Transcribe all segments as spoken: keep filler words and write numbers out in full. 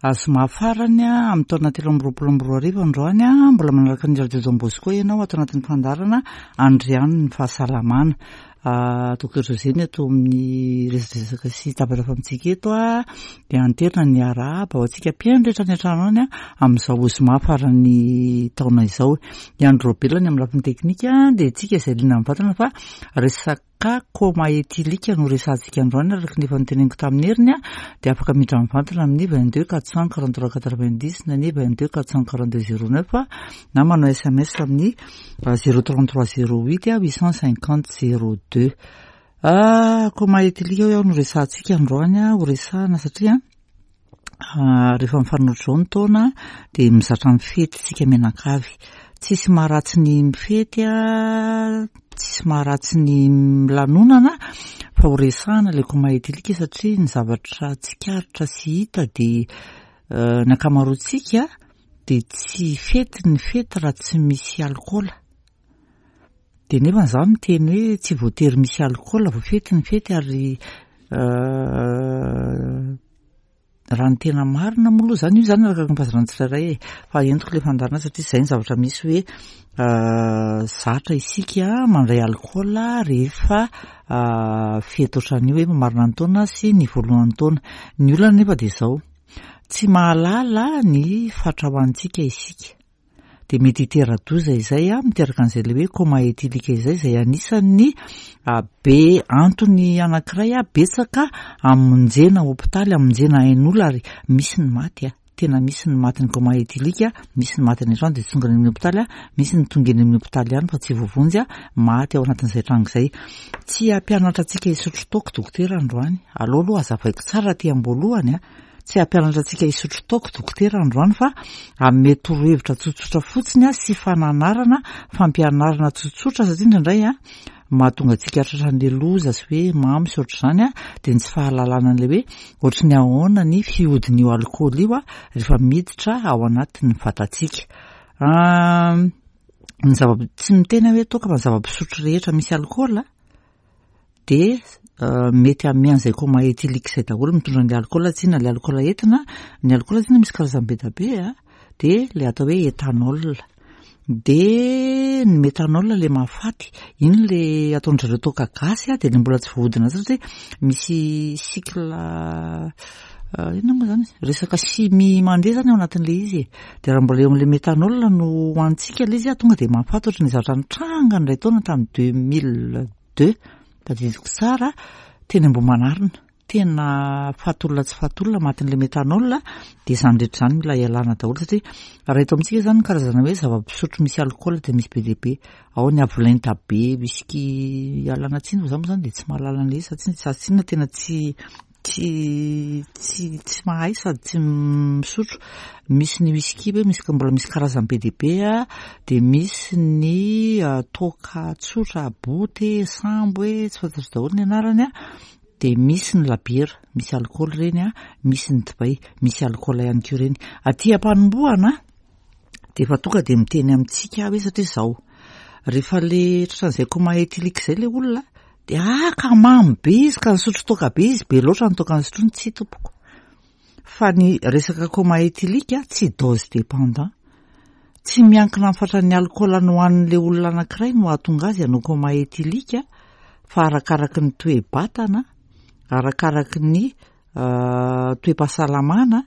Zoma farany amin'ny taona telo amby roapolo amby roa arivo androany. Mbola manaraka ny Radio Don Bosco ianao ato anatin'ny fandaharana Andriano ny fahasalamana. Docteur José ny ato amin'ny resadresaka sy tabataba amintsika eto a dia anterina ny arahaba ho antsika mpihaino rehetra any an-trano any amin'izao zoma farany taona izao. I Andro Robelany amin'ny lafiny teknika dia tsika izay liana mivantana fa resaka coma éthylique no resahantsika androany. Araka ny efa noteneniko tamin'ny heriny a dia afaka miditra mivantana amin'ny vingt deux quatre cent quarante trois quatre vingt dix na ny vingt deux quatre cent quarante deux zéro neuf na manao S M S amin'ny zéro trente trois zéro huit huit cent cinquante zéro deux. Coma éthylique hoe aho no resahantsika androany a ho resahana satria rehefa mifanohitra izao ny taona dia mizatra mifety tsika mianakavy. Tsisy maharatsy ny mifety a, tsisy maharatsy ny milanonana, fa ho resahana ilay coma éthylique satria ny zavatra tsikaritra sy hita dia ny ankamaroantsika dia tsy fety ny fety raha tsy misy alkaola. Dia nefa izaho miteny hoe tsy voatery misy alkaola vao fety ny fety. Ary raha ny tena marina moa aloha zany io zany arakaraka ny fahazarana tsirairay e, fa entiko ilay fandaharana satria izay ny zavatra misy hoe zatra isika mandray alkaola rehefa fety ohatran'io hoe mamarana ny taona sy ny voalohan'ny taona. Ny olana nefa dia izao, tsy mahalala ny fatra hohanintsika isika dia mety hitera-doza izay a miteraka an'izay le hoe coma éthylique izay izay anisan'ny be antony anankiray a betsaka amonjena hopitaly, amonjena ain'olona, ary misy ny maty a tena misy ny maty ny coma éthylique, misy ny maty any an-trano dia tsy tonga any amin'ny hopitaly a misy ny tonga eny amin'ny hopitaly ihany fa tsy voavonjy a maty ao anatin'izay tranga izay. Tsy hampianatra antsika hisotro toaka dokotera androany aloha aloha hazavaiko tsara aty am-boalohany a tsy hampianatra antsika hisotro toaka dokotera androany fa hanome torohevitra tsotsotra fotsiny a sy fananarana, fampianarana tsotsotra, satria indraindray a mahatonga antsika tratran'le loza sy hoe mamo sy ohatr'izany a dia ny tsy fahalalana an'ilay hoe ohatry ny ahoana ny fihodin'io alkaola io a rehefa miditra ao anatin'ny vatantsika. Ny zava tsy miteny hoe toaka fa ny zava-pisotro rehetra misy alkaola dia mety hanome an'izay coma éthylique izay daholo, mitondra an'ilay alkaola tsinona, ilay alkaola entina. Ny alkaola tsinona misy karazany be dia be a dia ilay atao hoe éthanol, dia ny méthanol le mahafaty iny, le ataon-dry zareo toaka gasy a dia le mbola tsy voahodina satria misy cycle inona moa zany, resaka chimie mandeha zany ao anatin'ilay izy e. Dia raha mbola eo amin'ilay méthanol no hohanintsika ilay izy a tonga dia mahafaty, ohatry ny zavatra nitranga indray taona tamin'ny deux mille deux, tadidiko tsara, teny Ambohimanarina, tena faty olona tsy faty olona matin'ilay méthanol. Dia izany rehetra izany mila ialana daholo satria raha eto amintsika zany ny karazana hoe zava-pisotro misy alkaola dia misy be dia be ao, ny avolenta be, whisky, ialana tsiny fa za moa zany dia tsy mahalala an'ilay izy satria za tsinona tena tsy tsy tsy tsy mahay sady tsy misotro. Misy ny whisky hoe misy mbola misy karazany be dia be a dia misy ny toaka tsotra, boty sambo hoe tsy fantatro daholo ny anarany a dia misy ny labiera misy alkaola ireny a misy ny divay misy alkaola ihany koa ireny. Aty am-panombohana dia efa tonga dia miteny amintsika hoe satria izao rehefa le tratran'izay coma éthylique izay le olona dia ah ka mamo be izy ka nisotro toaka be izy, be loatra ny toaka nisotroiny. Tsy tompoko, fa ny resaka coma éthylique tsy dose dépendant, tsy miankina amin'ny fatran'ny alkaola nohanin'le olona anankiray no hahatonga azy hanao coma éthylique, fa arakaraky ny toe-batana, arakaraky ny toe-pahasalamana,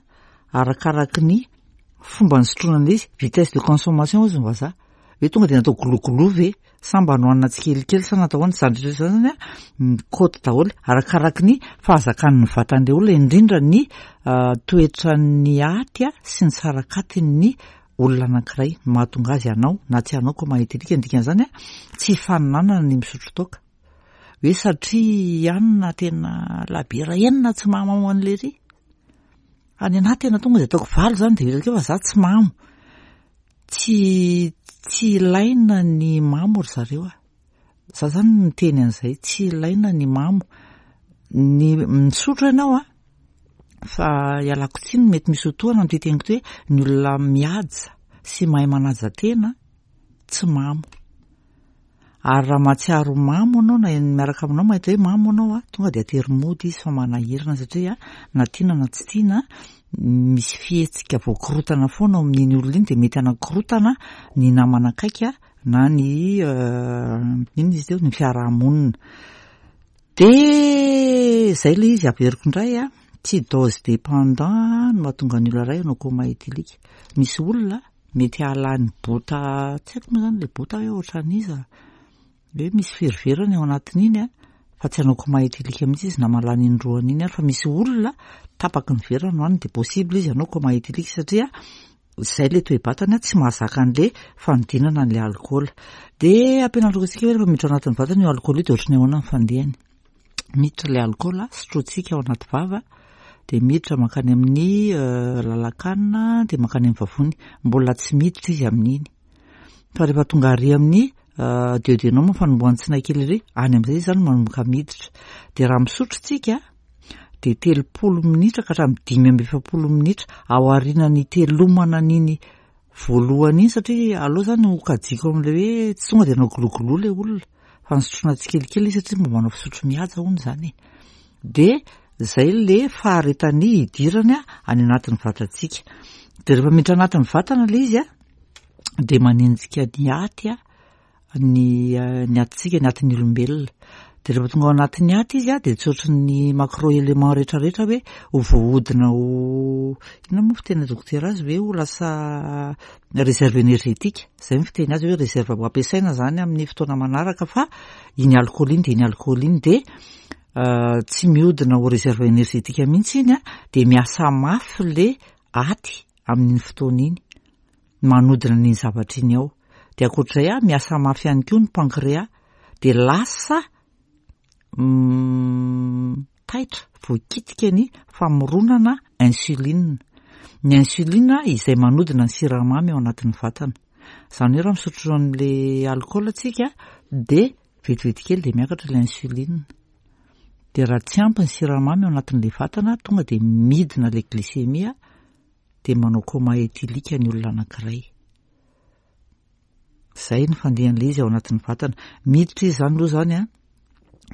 arakaraky ny fomba nisotroana an'ilay izy, vitesse de consommation hozy ny vazaha, hoe tonga dia natao gologolo ve sa mba nohanina tsikelikely sa natao ahoana. Izany rehetra izany zany a mikaoty daholo arakaraky ny fahazakan'ny vatan'ilay olona, indrindra ny toetran'ny aty a sy ny sarakatin'ny olona anankiray no mahatonga azy hanao na tsy hanao coma éthylique. Ny dikan'izany a tsy faninanana ny misotro toaka hoe satria ianina tena labiera enina tsy mahamamo an'ilay ry any anahy, tena tonga dia ataoko valo zany dia vita akeo fa za tsy mamo. Tsy tsy ilaina ny mamo ry zareo a za zany miteny an'izay, tsy ilaina ny mamo. Ny misotro ianao a fa ialako tsiny, mety misy ho tohana ny teniko ty hoe ny olona mihaja sy mahay manaja tena tsy mamo, ary raha mahatsiaro mamo anao na miaraka aminao mahita hoe mamo anao a tonga dia atery mody izy fa manahirana satria na tiana na tsy tiana. misy fihetsika voakorotana foana ao amin'iny olona iny, de mety anakorotana ny namana akaiky na ny inona izy teo, ny fiarahamonina. De zay le izy, averiko indray a, tsy dose dépendant no mahatonga ny olona iray hanao coma éthylique. Misy olona mety hahalany bota, tsy haiko moa zany le bota hoe ohatran'iza, hoe misy veriverany ao anatin'iny a, fa tsy hanao coma éthylique mihitsy izy na mahalany indroany iny ary, fa misy olona tapaky ny vera no hohaniny de possible izy hanao coma éthylique, satria zay le toe-batana tsy mahazaka an'le fanodinana an'le alcool. De ampianariko antsika hoe rehefa miditra ao anatin'ny vatana io alcool io de ohatran'ny ahoana ny fandehany. Miditra le alcool, sotrointsika ao anaty vava, de miditra mankany amin'ny lalan-kanina, de mankany amin'ny vavony, mbola tsy miditra izy amin'iny. Fa rehefa tonga ary amin'ny duodénum, fanombohan'ny tsinay kely ery, any amin'izay izy zany manomboka miditra. De raha misotro tsika de telopolo minitra ka hatramin'ny dimy amby efapolo minitra ao aorianany telomana an'iny voalohany iny, satria aloha zany ho kajiko amin'le hoe tsy tonga de hanao gloglo le olona, fa nisotroana tsikelikely izy satria mba manao fisotro mihaja hono zany e. De zay le faharetany hidirany any anatin'ny vatantsika. De rehefa miditra anatin'ny vatana le izy a, de manenjika ny aty a, ny ny atintsika, ny atin'ny olombelona. De rehefa tonga ao anatin'ny aty izy a, de tsy ohatry ny macro élément rehetrarehetra hoe ho voahodina ho inona moa fiteny dokotera azy, hoe ho lasa réserve énergétique, zay ny fiteny azy, hoe réserve ho ampiasaina zany amin'ny fotoana manaraka, fa iny alcool iny de iny alcool iny de tsy mihodina ho réserve énergétique mihitsy iny a, de miasa mafy le aty amin'iny fotoana iny manodina n'iny zavatra iny ao. De ankoatr'izay a, miasa mafy ihany koa ny pancréas, de lasa taitra voakitika ny famoronana insuline. Ny insuline izay manodina ny siramamy ao anatin'ny vatana. Zany hoe raha misotro an'le alcool tsika de vetivety kely de miakatra le insuline. De raha tsy ampy ny siramamy ao anatin'le vatana, tonga de midina le glycémie, de manao coma éthylique ny olona anankiray. Zay ny fandehan'le izy ao anatin'ny vatana. Miditra izy zany aloha zany a,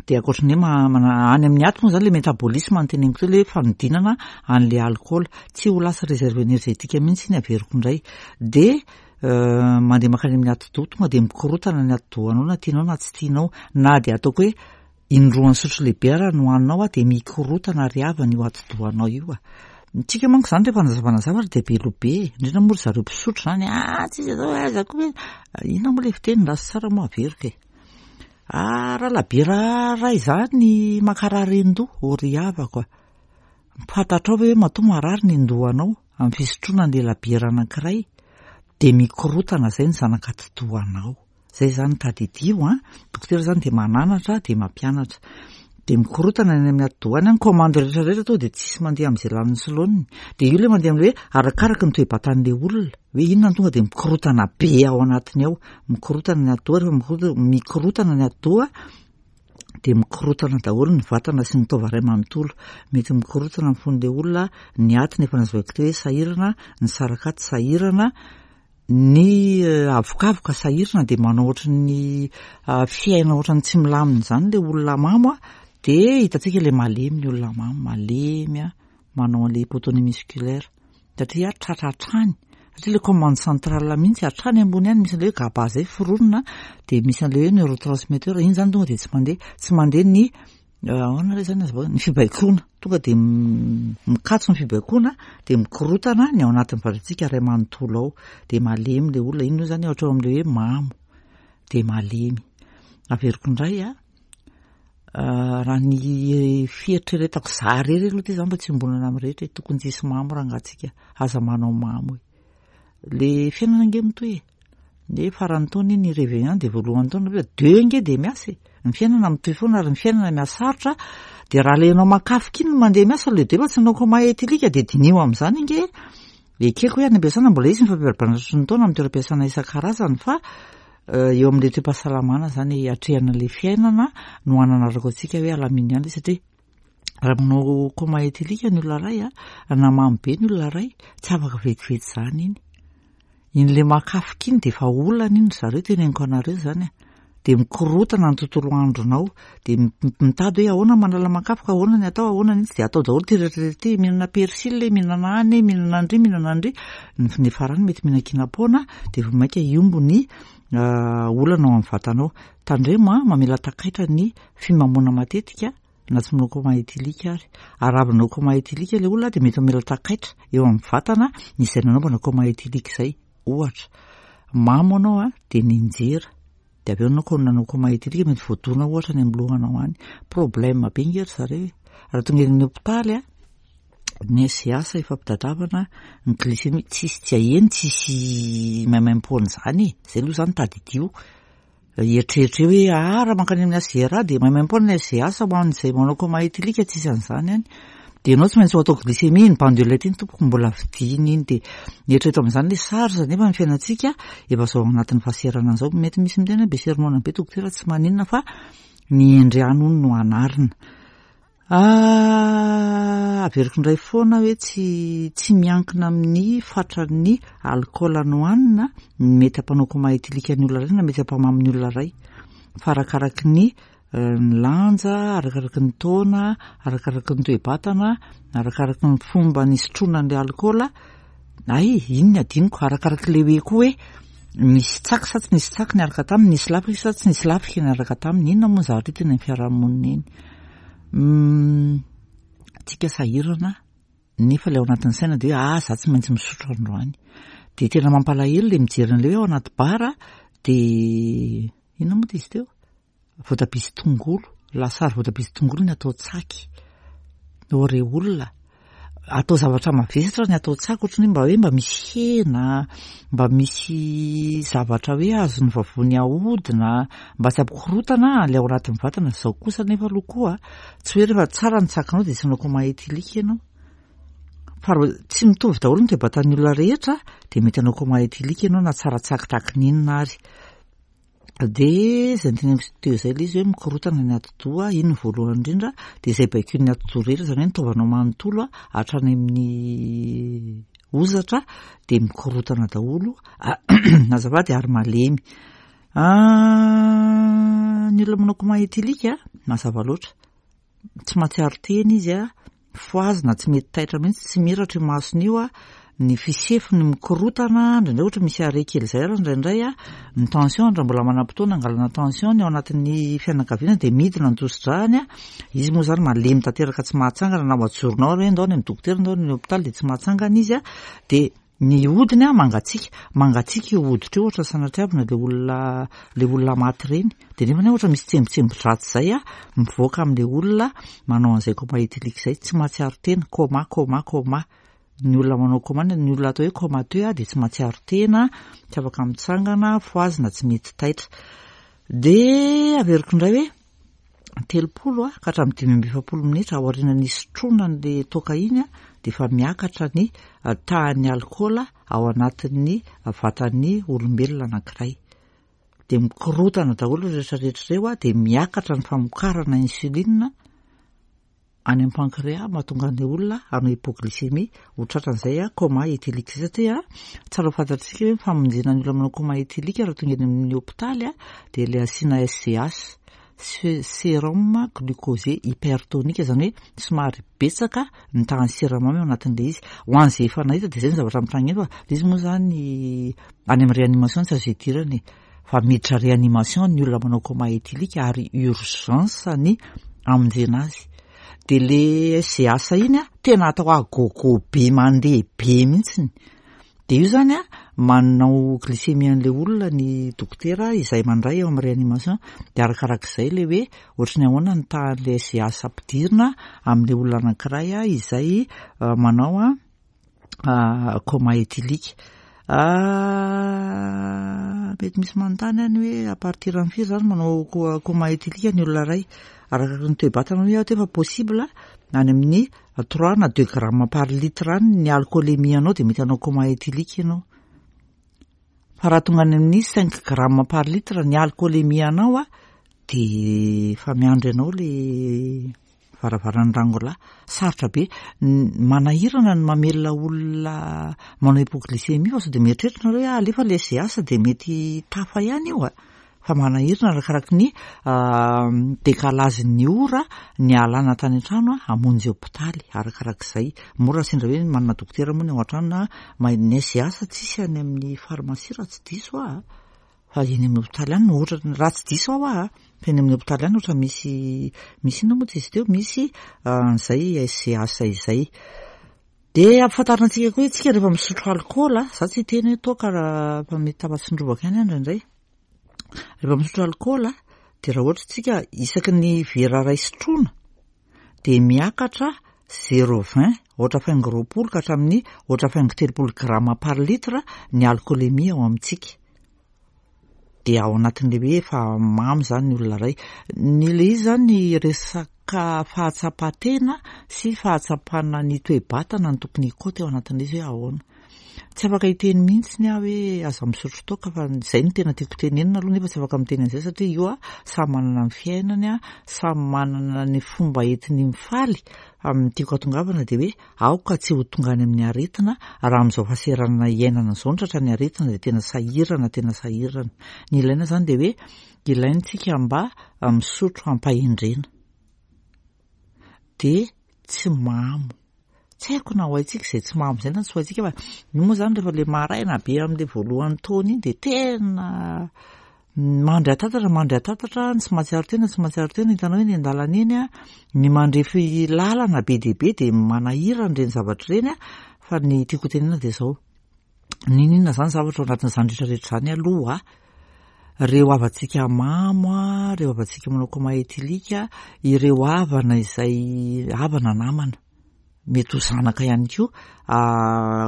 de ankoatran'ny hoe mana any amin'ny aty moa zany le métabolisme no teneniko teo, le fanodinana an'le alcool, tsy ho lasa réserve énergétique mihitsy iny, averiko indray. De mandeha mankany amin'ny atidoha, tonga de mikorotana ny atidohanao na tianao na tsy tianao, na de ataoko hoe indroan'ny sotro lehibe ara no hohaninao a, de mikorotana ry havana io atidohanao io a. Tsika manko zany rehefa nazavana zavatra de be loha be, indrindra moa ry zareo mpisotro zany, ah tsisy atao aiza koa hoe inona moa le fiteny raha tsy tsara moa averiko e. Ah, raha labiera ray zany mankarary an-doha, ô ry havako a. Fantatrao ve hoe matoa marary ny an-dohanao amin'ny fisotroana an'le labiera anankiray, de mikorotana zay ny zanak'atidohanao. Zay zany tadidio a, dokotera zany de mananatra de mampianatra. De mikorotana any amin'ny atidoha any, ny commande rehetrarehetra tonga de tsisy mandeha amin'izay lanin'ny soloniny. De io le mandeha amin'le hoe arakaraky ny toe-batan'le olona, hoe inona no tonga de mikorotana be ao anatiny ao. Mikorotana ny atidoha, rehefa mikorotana mikorotana ny atidoha de mikorotana daholo ny vatana sy ny taova iray manontolo. Mety mikorotana ny fon'le olona, ny atiny efa nazavaiko teo hoe sahirana, ny sarakaty sahirana, ny avokavoka sahirana, de manao ohatran'ny fiaina ohatran'ny tsy milamina zany le olona mamo a. De hitantsika le malemy ny olona mamo, malemy a, manao an'le hypotonie musculaire, satria tratra hatrany, satria le commande centrale mihitsy hatrany ambony any misy an'le hoe GABA zay foronina, de misy an'le hoe neurotransmetteur iny zany tonga de tsy mandeha, tsy mandeha ny ahoana re zany azavaina, ny fibaikoana, tonga de mikatso ny fibaikoana, de mikorotana ny ao anatin'ny vatantsika iray manontolo ao, de malemy le olona iny io zany ohatra ao amin'le hoe mamo de malemy. Averiko indray a, raha ny fieritreretako za rery aloha ty zany mba tsy iombonana amin'ny rehetra, tokony tsisy mamo raha angatsika, aza manao mamo e. Le fiainana ange mitohy e, de faran'ny taona iny réveillon de voalohan'ny taona hoe deux ange de miasa e. Ny fiainana mitohy foana ary ny fiainana mihasarotra, de raha le ianao makafoka iny no mandeha miasa le deux fa tsy nanao coma éthylique, de diniho amin'izany ange. Ekeko hoe any am-piasana mbola hisy ny fampiarahabana ny taona amin'ny toeram-piasana isan-karazany, fa eo amin'le toe-pahasalamana zany atrehana le fiainana no hananarako antsika hoe alamino ihany, satria raha manao coma éthylique ny olona iray a, na mamo be ny olona iray, tsy afaka vetivety zany iny. Iny le makafoka iny de efa olana iny ry zareo, teneniko anareo zany a. de mikorotana ny tontolo andronao, de mitady hoe ahoana manala makafoka, ahoana ny atao, ahoana ny de atao daholo ty rehetrarehetra ty, mihinana persil, mihinana any, mihinana andry, mihinana andry, ny farany mety mihinan-kinam-poana, de vao mainka hiombo ny olana ao amin'ny vatanao. Tandremo a, mamela takaitra ny fimamoana matetika na tsy manao coma éthylique ary. Ary raha avy nanao coma éthylique ilay olona de mety mamela takaitra eo amin'ny vatana izay nanaovana coma éthylique izay. Ohatra, mamo anao a, de ninjera, de avy eo anao ko nanao coma éthylique mety voadona ohatra any amin'ny lohanao any. Problème be nge ry zareo e. Raha tonga eny amin'ny hôpitaly a, ny S G H efa ampitadiavana ny glycémie, tsisy tsy aheno, tsisy maimaimpoana zany e. Zay aloha zany tadidio. Eritreritra hoe ah raha mankany amin'ny H G R A de maimaimpoana ny S G H ho an'izay manao coma éthylique, tsisy an'izany any. De ianao tsy maintsy ho atao glycémie, ny bandelette iny tompoko mbola vidiana iny, de mieritreritra amin'izany le sarotra nefa ny fiainantsika efa zao anatin'ny fahaserana zao. Mety misy miteny hoe be sermona be dokotera, tsy maninona fa ny hendry ihany hono no anarina. Averiko indray foana hoe tsy tsy miankina amin'ny fatran'ny alkaola nohanina ny mety hampanao coma éthylique ny olona iray na mety hampamamo ny olona iray, fa arakaraky ny ny lanja, arakaraky ny taona, arakaraky ny toe-batana, arakaraky ny fomba nisotroana an'ilay alkaola. Ay, iny ny adinoko, arakaraky le hoe koa hoe nisy tsaky sa tsy nisy tsaky niaraka taminy, nisy lafika sa tsy nisy lafika niaraka taminy. Inona moa ny zavatra hita eny amin'ny fiarahamonina eny? Tsika sahirana nefa ilay ao anatin'ny saina de hoe ah za tsy maintsy misotro androany. De tena mampalahelo le mijery an'ilay hoe ao anaty bara de inona moa ty izy teo? Voatabia sy tongolo, lasary voatabia sy tongolo ny atao tsaky. O re olona, atao zavatra mavesatra ny atao tsaky, ohatrany hoe mba hoe mba misy hena, mba misy zavatra hoe azon'ny vavony ahodina, mba tsy hampikorotana ilay ao anatin'ny vatana. Zao kosa nefa aloha koa tsy hoe rehefa tsara ny tsakinao de tsy hanao coma éthylique ianao. Fa raha tsy mitovy daholo ny toe-batan'ny olona rehetra de mety hanao coma éthylique ianao na tsara tsaky tahaky ny inona ary. De zay noteneniko teo zay le izy hoe mikorotana ny atidoha, iny ny voalohany indrindra, de izay baikoin'ny atidoha rehetra, zany hoe ny taovanao manontolo hatrany amin'ny hozatra de mikorotana daholo, azafady, ary malemy. Ny olona manao coma éthylique mazava loatra, tsy mahatsiaro tena izy a, fohazina, tsy mety taitra mihitsy, tsy miratra io masony io a, ny fisefony mikorotana, indraindray ohatra misy arrêt kely zay ary indraindray a, ny tension raha mbola manam-potoana angalana tension ny ao anatin'ny fianakaviana de midina ny tosi-drahany a, izy moa zany malemy tanteraka tsy mahatsangana, na ajoronao ary hoe ndao any amin'ny dokotera, ndao any amin'ny hôpitaly de tsy mahatsangana izy a, de ny hodiny a mangatsiaka, mangatsiaka io hoditra io ohatra sanatriavina le olona le olona maty ireny, de nefa ohatra misy tsembotsembon-dratsy zay a mivoaka amin'le olona manao an'izay coma éthylique zay, tsy mahatsiaro tena, coma coma coma. Ny olona manao coma, ny olona atao hoe comateux a de tsy mahatsiaro tena, tsy afaka mitsangana, fohazina, tsy mety taitra. De averiko indray hoe telopolo a ka hatramin'ny dimy amby efapolo minitra aorian'ny nisotroana an'le toaka iny a de efa miakatra ny tahan'ny alkaola ao anatin'ny vatan'ny olombelona anankiray. De mikorotana daholo rehetrarehetra ireo a, de miakatra ny famokarana insuline any amin'ny pancréas, mahatonga an'ilay olona hanao hypoglycémie, ho tratran'izay a coma éthylique zay, satria tsara ho fantatsika hoe famonjena ny olona manao coma éthylique raha tonga eny amin'ny hôpitaly a de le asiana S G H, sérum glucosé hypertonique, zany hoe somary betsaka ny tahan'ny siramamy ao anatin'le izy. Ho an'izay efa nahita de zay ny zavatra mitranga eny, fa le izy moa zany any amin'ny réanimation tsy azo idirana e, fa miditra réanimation ny olona manao coma éthylique ary urgence ny amonjena azy. De le S G H iny a tena atao agogo be mandeha be mihitsiny. De io zany a manao glycémie an'le olona ny dokotera izay mandray eo amin'ny réanimation, de arakarak'izay le hoe ohatry ny ahoana ny tahan'le S G H ampidirina amin'le olona anankiray a izay manao a coma éthylique. Mety misy manontany any hoe à partir amin'ny firy zany manao coma éthylique ny olona iray? Arakaraky ny toe-batana hoe aho te fa possible any amin'ny trois na deux grammes par litre any ny alcoolémie anao de mety hanao coma éthylique ianao. Fa raha tonga any amin'ny cinq grammes par litre ny alcoolémie anao a de efa miandry anao le varavaran'ny rangolahy. Sarotra be, manahirana ny mamelona olona manao hypoglycémie, fa sao de mieritreritra nareo hoe alefa le S G H de mety tafa ihany io a. Fa manahirana arakaraky ny décalage-n'ny ora nialana tany an-trano hamonjy hopitaly, arakarak'izay. Moa raha sendra hoe manana dokotera moa ny ao an-trano na mahay ny S G H tsisy any amin'ny pharmacie raha tsy diso aho, fa eny amin'ny hopitaly any no ohatra, raha tsy diso aho a, fa eny amin'ny hopitaly any ohatra misy misy inona moa izy teo, misy an'izay S G H izay. De ampifantarina antsika koa hoe tsika rehefa misotro alkaola, za tsy hiteny hoe toaka raha fa mety tafatsindrovaka ihany aho indraindray. Rehefa misotro alkaola de raha ohatra tsika isaky ny vera ray sotroina de miakatra zéro vingt, ohatra faingo roapolo ka hatramin'ny ohatra faingo telopolo grama par litre ny alcoolémie ao amintsika. De ao anatin'le hoe efa mamo zany ny olona ray. Ny le izy zany resaka fahatsapan-tena sy fahatsapana ny toe-batana no tokony hikoty ao anatin'le izy hoe ahoana. Tsy afaka hiteny mihitsy ny aho hoe aza misotro toaka, fa zay no tena tiako tenenina aloha, nefa tsy afaka miteny an'izay satria io a samy manana ny fiainany a, samy manana ny fomba entiny mifaly. Amin'ny tiako hatongavana de hoe aoka tsy ho tonga any amin'ny aretina. Raha amin'izao fahasahiranana iainana izao no tratra ny aretina de tena sahirana, tena sahirana. Ny ilaina zany de hoe ilaintsika mba misotro ampahendrena de tsy mamo. Tsy haiko na ho haintsika izay tsy mamo izay na tsy ho haintsika, fa io moa zany rehefa le maraina be amin'le voalohan'ny taona iny de tena mandry atatatra, mandry atatatra, tsy mahatsiaro tena, tsy mahatsiaro tena, hitanao eny an-dalana eny a, ny mandrefy lalana be dia be de manahirana ireny zavatra ireny a. Fa ny tiako tenenina de zao, n'inon'inona zany zavatra ao anatin'izany rehetrarehetra zany aloha, reo havantsika mamo a, reo havantsika manao coma éthylique, ireo havana izay havana namana, mety ho zanaka ihany koa,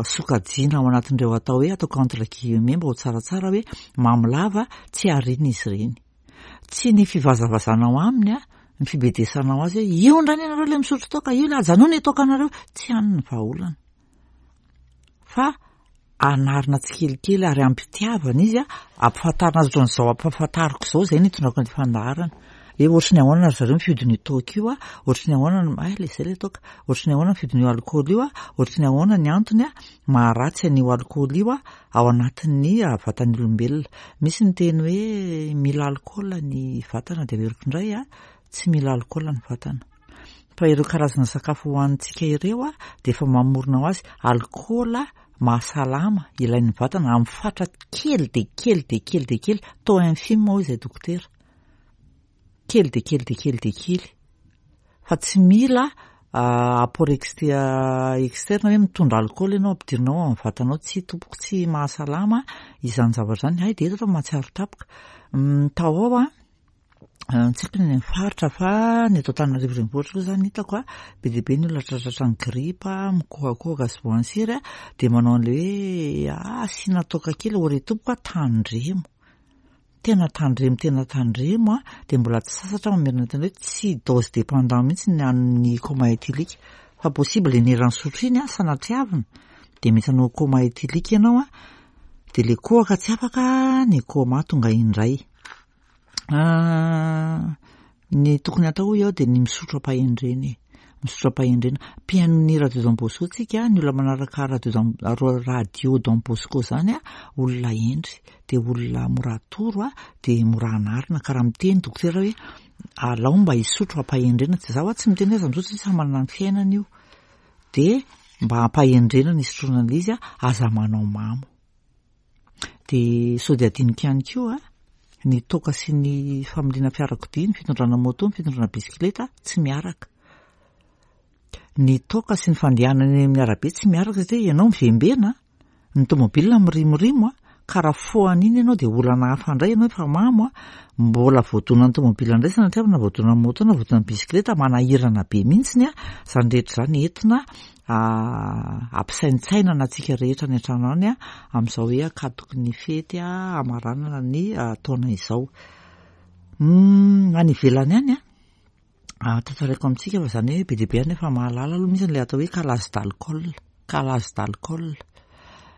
sokajiana ao anatin'ireo atao hoe ataoko entre guillemets mba ho tsaratsara hoe mamo lava, tsy ariana izy ireny. Tsy ny fivazavazanao aminy a, ny fibedesanao azy hoe io indray ianareo le misotro toaka io, le ajanony toakanareo, tsy any ny vahaolana. Fa anarina tsikelikely ary ampitiavana izy a, ampifantarina azy ohatran'izao ampahafantariko izao, zay no itondrako ny fandaharana. Hoe ohatry ny ahoana ry zareo ny fihodin'io toaka io a, ohatry ny ahoana, ay le zay le toaka, ohatry ny ahoana ny fihodin'io alkaola io a, ohatry ny ahoana ny antony a maharatsy an'io alkaola io a ao anatin'ny vatan'ny olombelona. Misy ny teny hoe mila alkaola ny vatana, de averiko indray a, tsy mila alkaola ny vatana. Fa ireo karazana sakafo hohanintsika ireo a de efa mamorona ho azy alkaola mahasalama ilain'ny vatana amin'ny fatra kely de kely de kely de kely, taux infime hoy izay dokotera. Kely de kely de kely de kely. Fa tsy mila apport externe hoe mitondra alkaola ianao ampidirinao amin'ny vatanao, tsy tompoko, tsy mahasalama izany zavatra izany. Hay de eto fa mahatsiaro tampoka. Tao ao a, tsy haiko ny any amin'ny faritra fa ny eto Antananarivo renivohitra aloha zany hitako a, be dia be ny olona tratratran'ny gripa, mikohakohaka sy voan'ny a, de manao an'le hoe asiana toaka kely, ore tompoko a, tandremo. Tena tandremo, tena tandremo a, de mbola tsy sasatra mamerina tena hoe tsy dose dépendant mihitsy ny an'ny coma éthylique, fa possible ny sotro iny a, sanatriavina de mety hanao coma éthylique ianao a, de le kohaka tsy afaka, ny coma tonga indray. Ny tokony atao hoy aho de ny misotro ampahendrena e, misotro ampahendrena. Mpihaino ny Radio Don Bosco tsika, ny olona manaraka radio Don, radio Don Bosco zany a, olona hendry, de olona mora atoro a, de mora anarina. Ka raha miteny dokotera hoe alao mba hisotro ampahendrena, tsy zaho a tsy miteny hoe aza misotro satria samy manana ny fiainana io. De mba ampahendrena ny hisotroana an'ilay izy a, aza manao mamo. De sao de adinoko ihany koa a, ny toaka sy ny familiana fiarakodia, ny fitondrana moto, ny fitondrana bisikileta tsy miaraka. Ny toaka sy ny fandehanana eny amin'ny arabe tsy miaraka satria ianao mivembena, ny tomobila mirimorimo a, ka raha fohan'iny ianao de olana hafa indray, ianao efa mamo a, mbola voadonan'ny tomobila indray sanatria na voadonan'ny moto na voadonan'ny bisikileta, manahirana be mihitsiny a. Izany rehetra izany entina ampisaintsainana antsika rehetra any an-trano any a, amin'izao hoe ankatoky ny fety a, hamaranana ny taona izao. Any ivelany any a, tantaraiko amintsika fa izany hoe be dia be any efa mahalala aloha, misy an'ilay atao hoe calage d'alcool, calage d'alcool.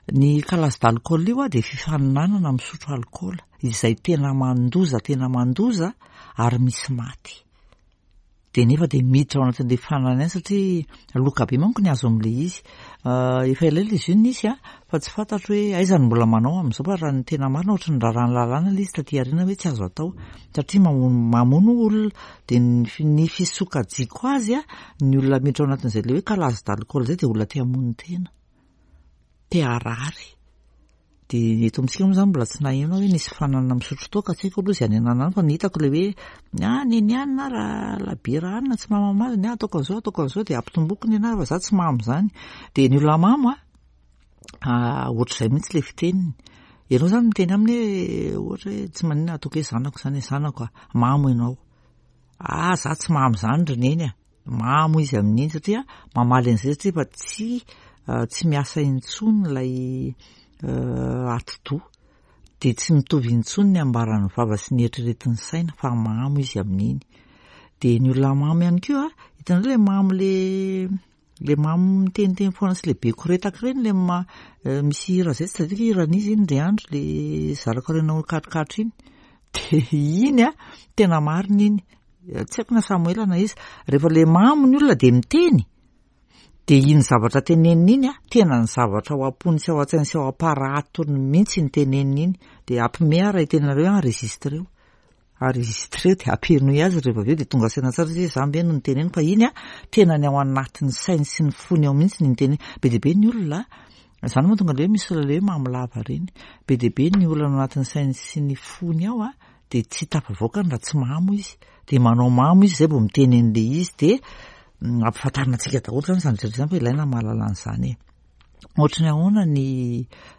Ny calage d'alcool io a de fifaninanana misotro alkaola izay tena mandoza, tena mandoza ary misy maty. De nefa de miditra ao anatin'le fanana ihany satria loka be manko ny azo amin'le izy. Efa elaela izy io nisy a, fa tsy fantatro hoe aiza no mbola manao amin'izao, fa raha ny tena marina ohatry ny raharahan'ny lalàna ilay izy taty aoriana hoe tsy azo atao satria mamono mamono olona. De ny fisokajiko azy a, ny olona miditra ao anatin'izay le hoe calage d'alcool zay de olona te hamono tena, te harary. De eto amintsika moa zany mbola tsy naheno aho hoe nisy fanana misotro toaka, tsy haiko aloha izay any ananany, fa ny hitako le hoe ah neny anina raha labiera anina tsy mahamamo azy, ny ahy ataoko an'izao ataoko an'izao de ampitomboko ny anahy fa za tsy mamo zany. De ny olona mamo a, ohatr'izay mihitsy le fiteniny. Ianao zany miteny aminy hoe ohatra hoe tsy maninona ataoko hoe zanako zany, zanako a, mamo ianao. Ah za tsy mamo zany ry neny a, mamo izy amin'iny satria mamaly an'izay satria efa tsy tsy miasa intsony ilay atidoha, de tsy mitovy intsony ny ambaran'ny vava sy ny eritreretin'ny saina fa mamo izy amin'iny. De ny olona mamo ihany koa a, hitanareo le mamo le le mamo miteniteny foana sy le be koretaka ireny, le ma- misy hira zay tsy tadidiko hoe hiran'iza iny ndry andro le zarako renao katrokatro iny. De iny a tena marina iny, tsy haiko na Samoela na iza, rehefa le mamo ny olona de miteny, de iny zavatra teneniny iny a tena ny zavatra ao am-pony sy ao an-tsainy sy ao am-paratony mihitsy ny teneniny iny. De ampime aho raha itenenareo hoe enregistreo, enregistreo de ampenoy azy rehefa avy eo de tonga saina tsara izy hoe za ve no niteneniko, fa iny a tena ny ao anatin'ny sainy sy ny fony ao mihitsy ny niteneniny. Be dia be ny olona, zany moa tonga le hoe misy olona le hoe mamo lava ireny, be dia be ny olona ao anatin'ny sainy sy ny fony ao a de tsy tafavoakany raha tsy mamo izy, de manao mamo izy zay vao miteny an'le izy, de ampifantarina antsika daholo zany zany rehetra zany fa ilaina mahalala an'izany e. Ohatry ny ahoana ny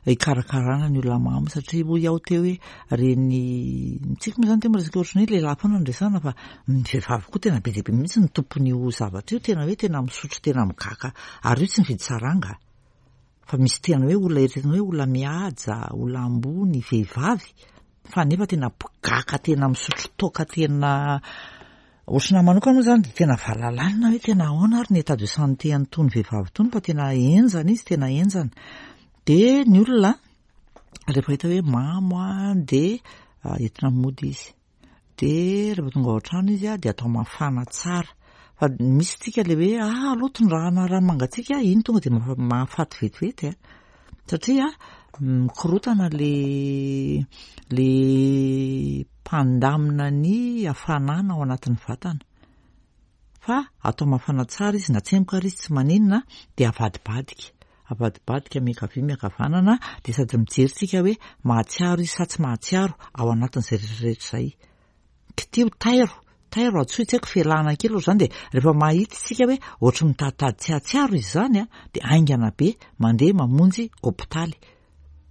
hikarakarana ny olona mamo, satria hoy aho teo hoe reny tsika moa zany teo miresaka ohatry ny hoe lehilahy foana no resahana, fa ny vehivavy koa tena be dia be mihitsy ny tompon'io zavatra io, tena hoe tena misotro tena migaka, ary io tsy mividy saranga fa misy tena hoe olona eritreretina hoe olona mihaja, olona ambony, vehivavy, fa nefa tena mpigaka tena misotro toaka tena ohatry ny manokana moa zany de tena valalanina hoe tena ahoana ary ny état de santé an'itony vehivavy itony, fa tena henjana izy, tena henjana. De ny olona rehefa hita hoe mamo a de entina mody izy, de rehefa tonga ao an-trano izy a de atao mafana tsara, fa misy tsika le hoe ah aloha tondrahana rano mangatsiaka, iny tonga de mahafaty vetivety a, satria mikorotana le le mpandamina ny hafanana ao anatin'ny vatana, fa atao mafana tsara izy na tsemboka ary izy tsy maninona, de avadibadika, avadibadika miankavia miankavanana, de sady mijery tsika hoe mahatsiaro izy sa tsy mahatsiaro ao anatin'izay rehetrarehetra izay. Kitiho tairo, tairo antsoy tsy haiko fialana kely ohatr'izany, de rehefa mahita tsika hoe ohatry mitaditady tsy hahatsiaro izy zany a, de haingana be mandeha mamonjy hopitaly.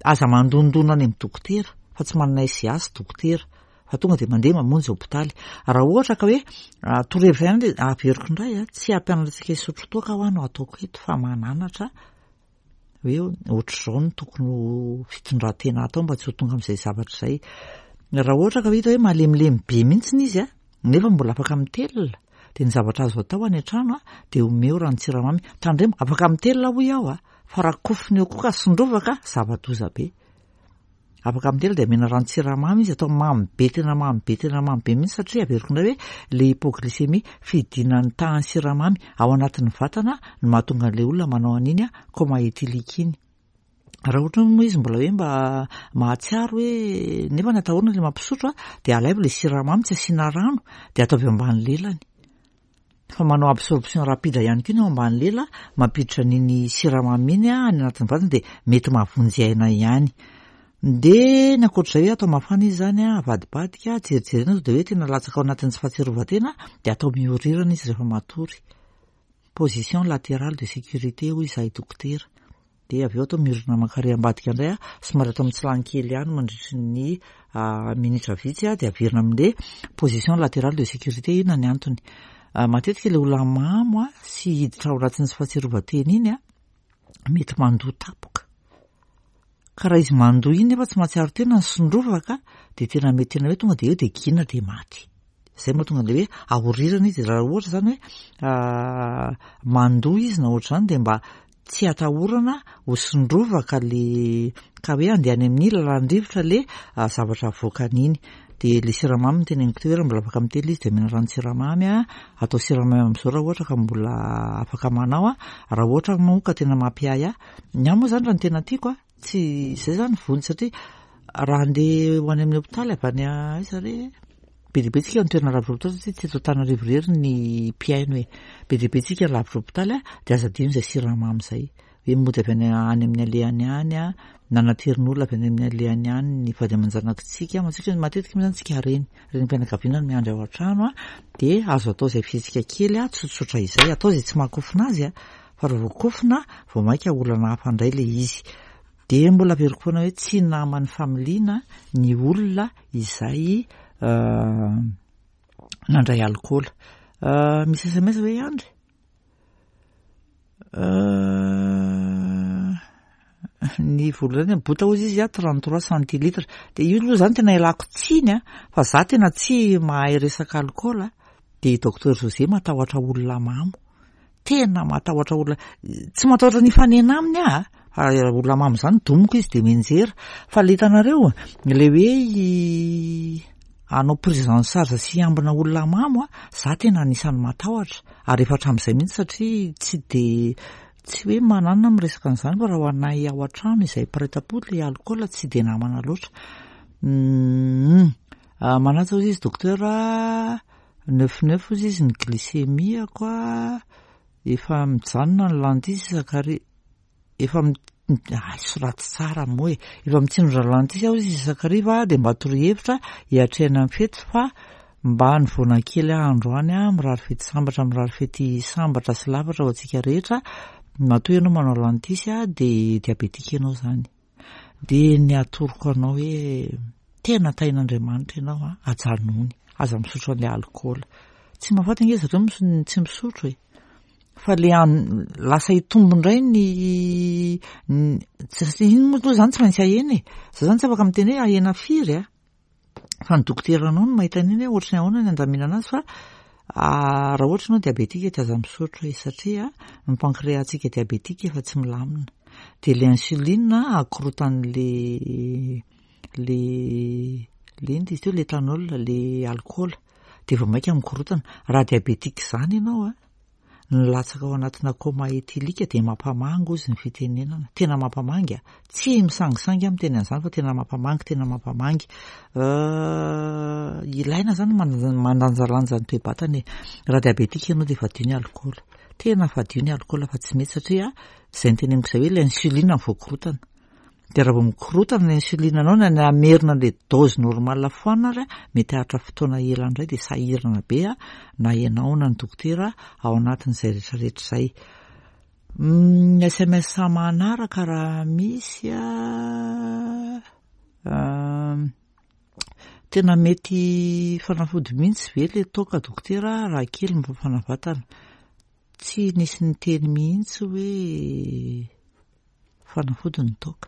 Aza mandondona any amin'ny dokotera fa tsy manana S I A sy dokotera, fa tonga de mandeha mamonjy hopitaly. Raha ohatra ka hoe torohevitra ihany de averiko indray a, tsy hampianatra antsika hisotro toaka ho aho no ataoko eto, fa mananatra hoe ohatr'izao no tokony ho fitondran-tena atao mba tsy ho tonga amin'izay zavatra izay. Raha ohatra ka hita hoe malemilemy be mihitsy izy a, nefa mbola afaka mitelina, de ny zavatra azo atao any an-trano a de omeo ranon-tsiramamy. Tandremo, afaka mitelina hoy aho a, fa raha kofona eo koa ka sondrovaka, zava-doza be. Afaka mitelina de omena ranon-tsiramamy izy, atao mamy be, tena mamy be, tena mamy be mihitsy, satria averiko indray hoe le hypoglycémie, fidinan'ny tahan'ny siramamy ao anatin'ny vatana no mahatonga an'ilay olona manao an'iny a coma éthylique iny. Raha ohatra moa izy mbola hoe mba mahatsiaro hoe nefa ny atahorana le mampisotro a, de alaivo le siramamy tsy asiana rano de ataovy eo ambany lelany, fa manao absorption rapide ihany koa ny ao ambany lela, mampiditra an'iny siramamy iny a any anatin'ny vatana, de mety mahavonjy aina ihany. De ny ankoatr'izay hoe atao mafana izy zany a, avadibadika, jerijerena de hoe tena latsaka ao anatin'ny tsy fahatsiarovan-tena, de atao miorirana izy rehefa matory. Position latérale de sécurité hoy izahay dokotera. De avy eo atao miorina mankary ambadika indray a, somary atao mitsilany kely ihany mandritry ny minitra vitsy a, de averina amin'le position latérale de sécurité. Inona ny antony? Matetika le olona mamo a sy hiditra ao anatin'ny tsy fahatsiarovan-tena iny a, mety mandoa tampoka. Ka raha izy mandoa iny nefa tsy mahatsiaro tena ny sondrovaka, de tena mety tena hoe tonga de eo de gina de maty. Zay mahatonga an'le hoe ahorirana izy. Raha ohatra zany hoe mandoa izy na ohatr'izany, de mba tsy atahorana ho sondrovaka le ka hoe andeha any amin'ny lalan-drivotra le zavatra avoakany iny. De le siramamy no teneniko teo hoe raha mbola afaka mitely izy de omena ranon-tsiramamy a, atao siramamy am'zao raha ohatra ka mbola afaka manao a, raha ohatra moa ka tena mampiahiahy. Ny ahy moa zany raha ny tena tiako a, tsy zay zany vonjy satria raha andeha ho any amin'ny hôpitaly avy any aiza re, be dia be tsika ny toerana lavitra hôpitaly satria tsy eto Antananarivo irery ny mpihaino e. Be dia be tsika lavitra hôpitaly a, de aza adino zay siramamy zay. Hoe mody avy any any amin'ny alehany any a, na naterin'olona avy any amin'ny alehany any ny vady aman-janakitsika. Matsika matetika moa zany tsika reny, renim-pianakaviana no miandry ao an-trano a, de azo atao izay fihetsika kely a, tsotsotra izay, atao izay tsy mahakofona azy a, fa raha vao kofona vao mainka olana hafa indray le izy. De mbola averiko foana hoe tsy naman'ny familiana ny olona izay nandray alikaola. Misy S M S ve Andry? Ny voalohany bota hozy izy a, trente-trois centilitres. De io aloha zany tena ialako tsiny a, fa za tena tsy mahay resaka alikaola. De docteur José matahotra olona mamo. Tena matahotra olona, tsy matahotra ny hifanena aminy aho a, fa olona mamo zany domiko izy de mianjera. Fa le hitanareo, le hoe hanao prise en charge sy hiambina olona mamo a, za tena anisan'ny matahotra. Ary efa hatramin'izay mihitsy satria tsy de tsy hoe mananona miresaka an'izany fa raha ho anay ao an-trano izay mpiray tam-po le alikaola tsy de namana loatra. Mm. Manaja hozy izy docteur, neuf neuf hozy izy ny glycémie-ko a, efa mijanona ny lentilles isakari-, efa mi-, ay, soraty tsara moa e, efa mitsindrona lentilles aho izy isakariva de mba torohevitra hiatrehana ny fety fa mba nivoana kely aho androany a, mirary fety sambatra, mirary fety sambatra sy lavatra ho antsika rehetra. Matoa ianao manao lentilles a, de diabetika ianao zany. De ny atoroko anao hoe tena tahin'Andriamanitra ianao a, ajanony, aza misotro an'ilay alikaola. Tsy mahafaty ange zareo mis-, tsy misotro e. Fa le an-, lasa hitombo indray ny, ny, tsy, iny moa aloha zany tsy maintsy ahena e. Za zany tsy afaka miteny hoe ahena firy a. Fa ny dokoteranao no mahita an'iny hoe ohatry ny ahoana ny andaminana azy fa, ah, raha ohatra ianao diabetika de aza misotro e, satria ny pancréas-tsika diabetika efa tsy milamina. De le insuline akorotan'le, le, le inona izy teo, l'éthanol, le alikaola, de vao mainka mikorotana. Raha diabetika zany ianao a, ny latsaka ao anatina coma éthylique de mampamangy hozy ny fitenenana. Tena mampamangy a, tsy misangisangy aho miteny an'izany fa tena mampamangy, tena mampamangy. Ilaina zany mandanj-, mandanjalanja ny toe-batana e. Raha diabetika ianao de fadio ny alikaola. Tena fadio ny alikaola fa tsy mety satria izay niteneniko izay hoe le insuline no voakorotana. De raha vao mikorotana ny insuline anao na ny hamerina le dose normale foana ary a, mety haharitra fotoana ela indray de sahirana be a, na ianao na ny dokotera ao anatin'izay rehetrarehetra izay. Mm, S M S manaraka raha misy a, tena mety fanafody mihitsy ve le toaka dokotera raha kely mifafana vatana? Tsy nisy niteny mihitsy hoe fanafody ny toaka.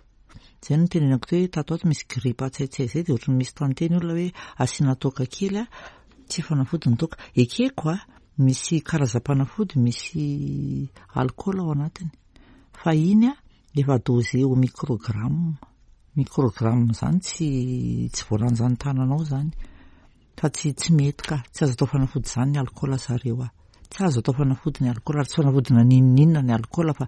Zay no nitenenako teo hoe tato ato misy gripa tsy hay zay de ohatran'ny misy tanteny olona hoe asiana toaka kely a, tsy fanafody ny toaka. Ekeko a, misy karazam-panafody misy alikaola ao anatiny. Fa iny a, efa dosé au microgramme. Microgramme zany tsy, tsy voalanjan'ny tananao zany. Fa tsy, tsy mety ka, tsy azo atao fanafody zany ny alikaola zareo a. Tsy azo atao fanafody ny alikaola, ary tsy fanafody na n'inon'inona ny alikaola fa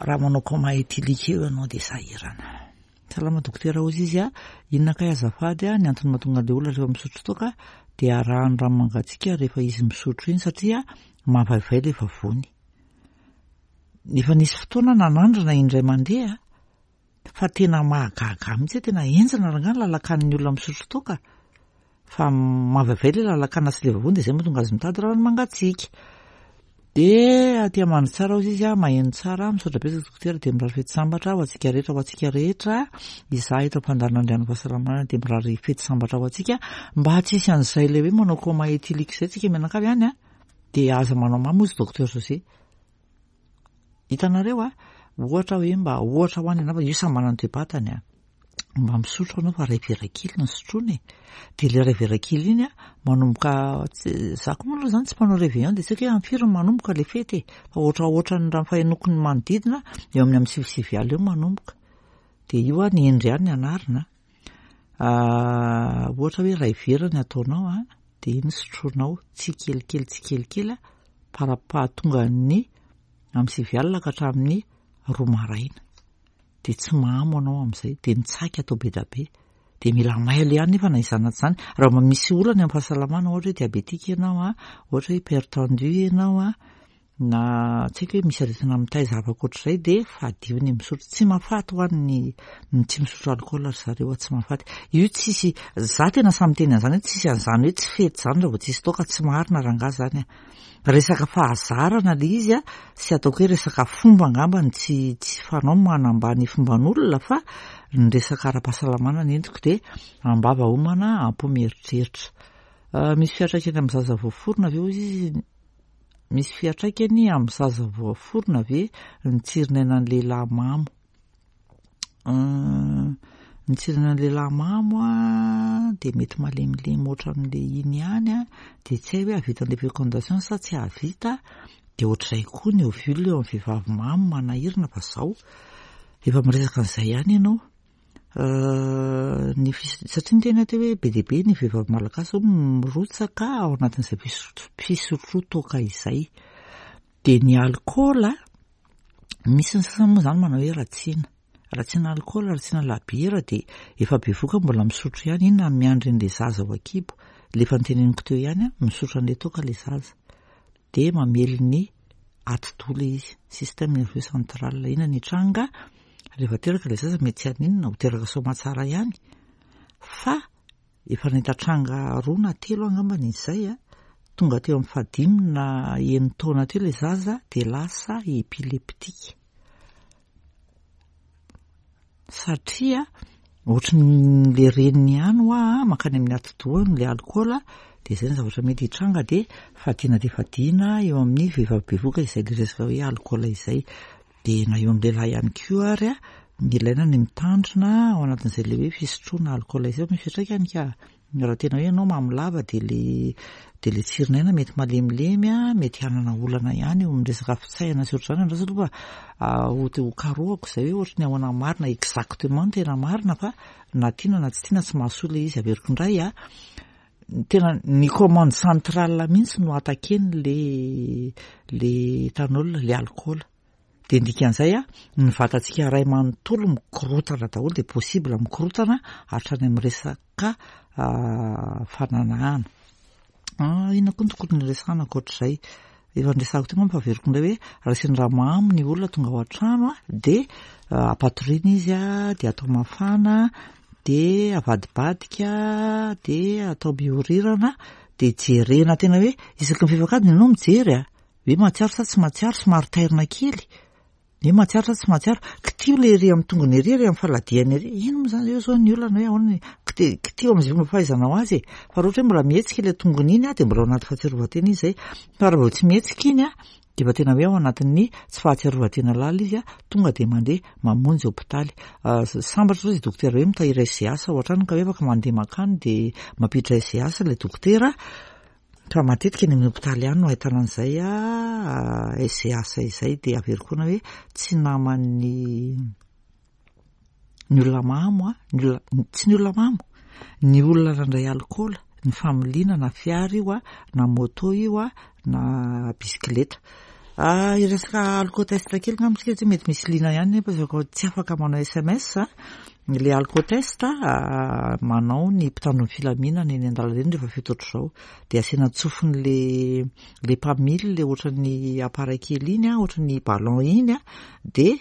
raha manao coma éthylique eo ianao de sahirana. Salama dokotera hozy izy a, inona kay azafady a, ny antony mahatonga an'ilay olona rehefa misotro toaka de arahany rano mangatsiaka rehefa izy misotro iny satria mavaivay ilay vavony. Efa nisy fotoana nanandrana indray mandeha fa tena mahagaga mihitsy hoe tena henjana rangahy ny lalakan'ny olona misotro toaka. Fa mavaivay ilay lalakana sy ilay vavony de izay mahatonga azy mitady rano mangatsiaka. De aty amandry tsara hozy izy a, maheno tsara, misaotra betsaka dokotera de mirary fety sambatra ho antsika rehetra, ho antsika rehetra. Izaho eto am-pandaharana Andriano Fahasalamana de mirary fety sambatra ho antsika mba tsy hisy an'izay ilay hoe manao coma éthylique izay tsika mianakavy any a, de aza manao mamo hozy docteur José. Hitanareo a, ohatra hoe mba ohatra ho any ianao fa io samy manana ny toe-batany a. Mba misotro anao fa ray vera kely ny sotroina e. De le ray vera kely iny a, manomboka tsy, za koa moa aloha zany tsy mpanao réveillon de tsy haiko hoe amin'ny firy no manomboka le fety e. Fa ohatra ohatra ny raha fahenoako ny manodidina eo amin'ny amin'ny sivy sivy alina eo manomboka. De io a, ny hendry ihany ny anarina. Ohatra hoe iray vera ny ataonao a, dia iny sotroinao tsikelikely tsikelikely para-pahatongan'ny amin'ny sivy alina ka hatramin'ny roa maraina. Dia tsy mamo anao amin'izay, dia ny tsaky atao be dia be. Dia mila mailo ihany nefa na izany na tsy izany. Raha mba misy olana amin'ny fahasalamana, ohatra hoe diabetika ianao a, ohatra hoe hypertendu ianao a, na tsy haiko hoe misy aretina mitaiza hafa ankoatr'izay, dia fadio ny misotro. Tsy mahafaty ho an'ny ny tsy misotro alikaola ry zareo, tsy mahafaty. Io tsisy, za tena samy miteny an'izany hoe tsisy an'izany hoe tsy fety izany raha vao tsisy toaka, tsy marina rangahy izany a. Resaka fahazarana ilay izy a, sy ataoko hoe resaka fomba angamba ny tsy tsy fanao manambany fomban'olona, fa ny resaka ara-pahasalamana ny entiko dia am-bava homana, am-po mieritreritra. Misy fiantraikany amin'ny zaza voaforona ve hoy izy? Misy fiantraikany amin'ny zaza voaforona ve ny tsirin'ainan'ny lehilahy mamo? Ny tsirin'ainan'ny lehilahy mamo a dia mety malemilemy ohatran'ilay iny ihany a, dia tsy hay hoe hahavita an'ilay fécondation sa tsy hahavita. Dia ohatr'izay koa ny ovule eo amin'ny vehivavy mamo manahirana fa zao efa miresaka an'izay ihany ianao. Ny fis- satria ny tena teo hoe be dia be ny vehivavy malagasy mirotsaka ao anatin'izay fisotroa toaka izay. Dia ny alikaola, misy ny sasany moa izany manao hoe ratsiana. Ratsiana alikaola, ratsiana labiera, dia efa bevoka mbola misotro ihany, inona no miandry an'ilay zaza ao an-kibo. Ilay efa noteneniko teo ihany, misotro an'ilay toaka ilay zaza. Dia mamely ny atidoha ilay izy, système nerveux central. Inona ny hitranga? Rehefa teraka ilay zaza mety tsy haninona, ho teraka soamantsara ihany. Fa efa nahita tranga roa na telo angambany izay a, tonga teo amin'ny fahadimy na enina taona teo ilay zaza dia lasa epileptika. Satria ohatran'ilay reniny ihany hoa mankany amin'ny atidohany ilay alikaola, dia izay ny zavatra mety hitranga, dia fadiana dia fadiana eo amin'ny vehivavy bevoka izay ilay resaka hoe alikaola izay. Dia na eo amin'ny lehilahy ihany koa ary a, ilaina ny mitandrina ao anatin'izay ilay hoe fisotroana alikaola izay, misy fiantraikany ka. Raha tena hoe ianao mamo lava dia le dia le tsirin'aina mety malemilemy a, mety hanana olana ihany eo amin'ny resaka fitsaihana sy ohatr'izany. Andraso aloha fa ho ho karohako izay hoe ohatry ny ahoana marina exactement tena marina, fa na tiana na tsy tiana tsy mahasoa ilay izy. Averiko indray a, tena ny commande centrale mihitsy no attaquer-ny le le éthanol, le alikaola. Dia ny dikan'izay a, ny vatantsika iray manontolo mikorotana daholo, dia possible mikorotana hatrany amin'ny resaka fananahana. Inona koa no tokony resahana ankoatr'izay? Efa niresahako teo angamba fa averiko indray hoe raha sendra mamo ny olona tonga ao an-trano a, dia ampatoriana izy a, dia atao mafana, dia avadibadika, dia atao mihorirana, dia jerena tena hoe isaky ny fefak'adiny ianao mijery a, hoe mahatsiaro sa tsy mahatsiaro, somary tairina kely. Hoe mahatsiaro sa tsy mahatsiaro, kitio ilay ery amin'ny tongony ery, ery amin'ny faladiany ery. Ino moa izany eo zao ny olana hoe ahoana ny kitio amin'izay fomba fahaizanao azy e. Fa raha ohatra hoe mbola mihetsika ilay tongony iny a, dia mbola ao anaty fahatsiarovan-tena izy izay. Fa raha vao tsy mihetsika iny a, dia efa tena hoe ao anatin'ny tsy fahatsiarovan-tena lalina izy a, tonga dia mandeha mamonjy hopitaly. Sambatra zao izy dokotera hoe mitahiry S G H ao an-trano ka hoe afaka mandeha mankany dia mampiditra S G H ilay dokotera. Fa matetika ny amin'ny hopitaly ihany no ahitana an'izay a S G H izay. Dia averiko foana hoe tsy naman'ny ny olona mamo a, ny olona tsy ny olona mamo, ny olona nandray alikaola, ny familiana na fiara io a, na moto io a, na bisikileta. Hiresaka alcootest kely angamba isika satria mety misy liana ihany nefa tsy afaka manao S M S a. Ilay alcootest manao ny mpitandro ny filaminana eny an-dalana eny rehefa fito ohatr'izao. Dia asiana tsofin'le le mpamily le ohatran'ny appareil kely iny a, ohatran'ny ballon iny a, dia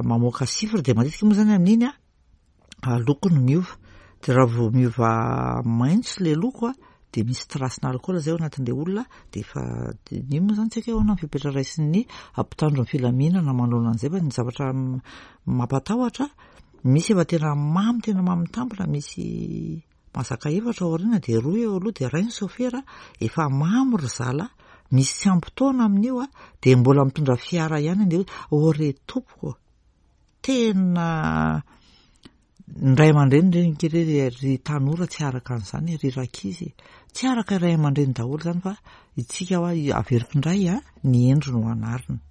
mamoaka chiffre. Dia matetika moa izany amin'iny a, loko no miova. Dia raha vao miova maitso ilay loko a, dia misy trace-na alikaola izay ao anatin'ilay olona. Dia efa iny moa izany tsy haiko hoe ahoana ny fepetra raisin'ny mpitandro ny filaminana manoloana an'izay, fa ny zavatra mampatahotra, misy efa tena mamy, tena mamy tampona, misy mazaka efatra ao aoriana dia roa eo aloha dia iray ny sofera, efa mamo ry zala, misy tsy ampy taona amin'io a, dia mbola mitondra fiara ihany andeha hoe ô re tompoko, tena ny ray aman-dreny ireny kely hoe ry tanora tsy araka an'izany, ry rankizy tsy araka ray aman-dreny daholo izany, fa isika hoa averiko indray a, ny endry no anarina.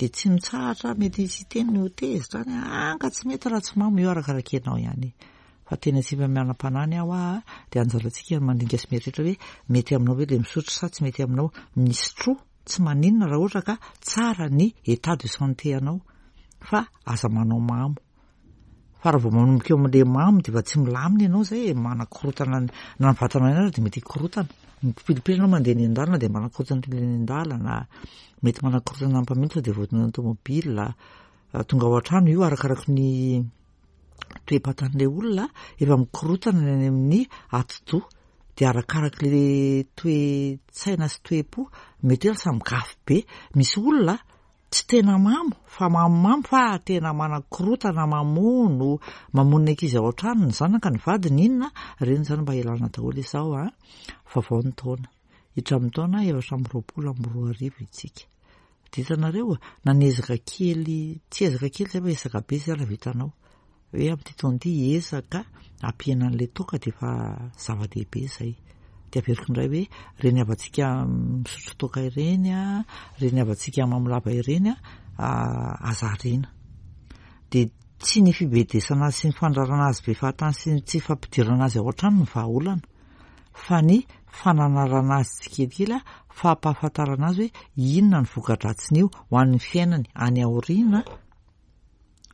Dia tsy mitsahatra, mety hisy hiteny ho tezitra any, ah, ka tsy mety raha tsy mamo io, arakaraka ianao ihany. Fa tena tsy manam-panahy aho a, dia anjarantsika ny mandinika sy mieritreritra hoe mety aminao ve le misotro sa tsy mety aminao. Misotro tsy maninona raha ohatra ka tsara ny état de santé anao, fa aza manao mamo. Fa raha vao manomboka eo amin'le mamo dia efa tsy milamina ianao zay e, manakorotana na ny vatanao ihany ary dia mety hikorotana. Mipilipily ianao mandeha eny an-dalana dia manakorotana eny an-dalana, mety manakorotana ny mpamily sao dia voadona ny tomobile. Tonga ao an-trano io arakaraky ny toe-batan'ilay olona, efa mikorotana ny any amin'ny atidoha, dia arakaraky le toe-tsaina sy toe-po mety hoe lasa migafy be. Misy olona tsy tena mamo fa mamomamo fa tena manakorotana, mamono, mamono ny ankizy ao an-trano, ny zanaka, ny vadiny, inona ireny zany mba ialana daholo izao a. Vaovao ny taona, hiditra amin'ny taona efatra amby roapolo amby roa arivo isika. Dia hitanareo, na niezaka kely, tsy ezaka kely zay fa ezaka be zay raha vitanao. Hoe amin'ity taona ity hiezaka hampihena an'ilay toaka dia efa zava-dehibe izay. Dia averiko indray hoe ireny havantsika misotro toaka ireny a, ireny havantsika mamolava ireny a, aza ariana. Dia tsy ny fibedesana azy sy ny fandrarana azy be fahatany sy ny tsy fampidirana azy ao an-trano no vahaolana, fa ny fananarana azy tsikelikely, fampahafantarana azy hoe inona ny voka-dratsin'io ho an'ny fiainany any aoriana,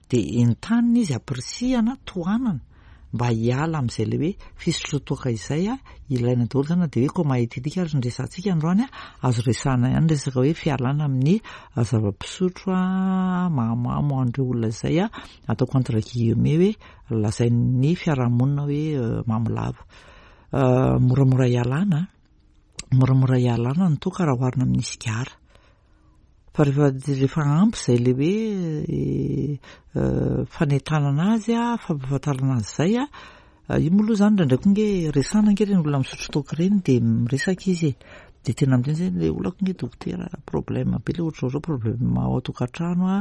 dia entanina izy, ampirisihana, tohanana mba hiala amin'izay le hoe fisotroan-toaka izay a, ilaina daholo zany. Na dia hoe coma éthylique ary ny resahantsika androany a, azo resahana ihany resaka hoe fialana amin'ny zava-pisotro a, mahamamo an'ireo olona izay a, ataoko entre guillemets hoe lazain'ny fiarahamonina hoe mamo lava. Moramora ialana, moramora ialana ny toaka raha oharina amin'ny sigara. Fa rehefa rehefa ampy izay le hoe fanentanana azy a, fampahafantarana azy izay a, io moa aloha zany indraindray koa nge resahana nge ireny olona misotro toaka ireny dia miresaka izy e. Dia tena miteny zay le olako nge dokotera, problème be le ohatra zao, problème ao an-tokantrano a,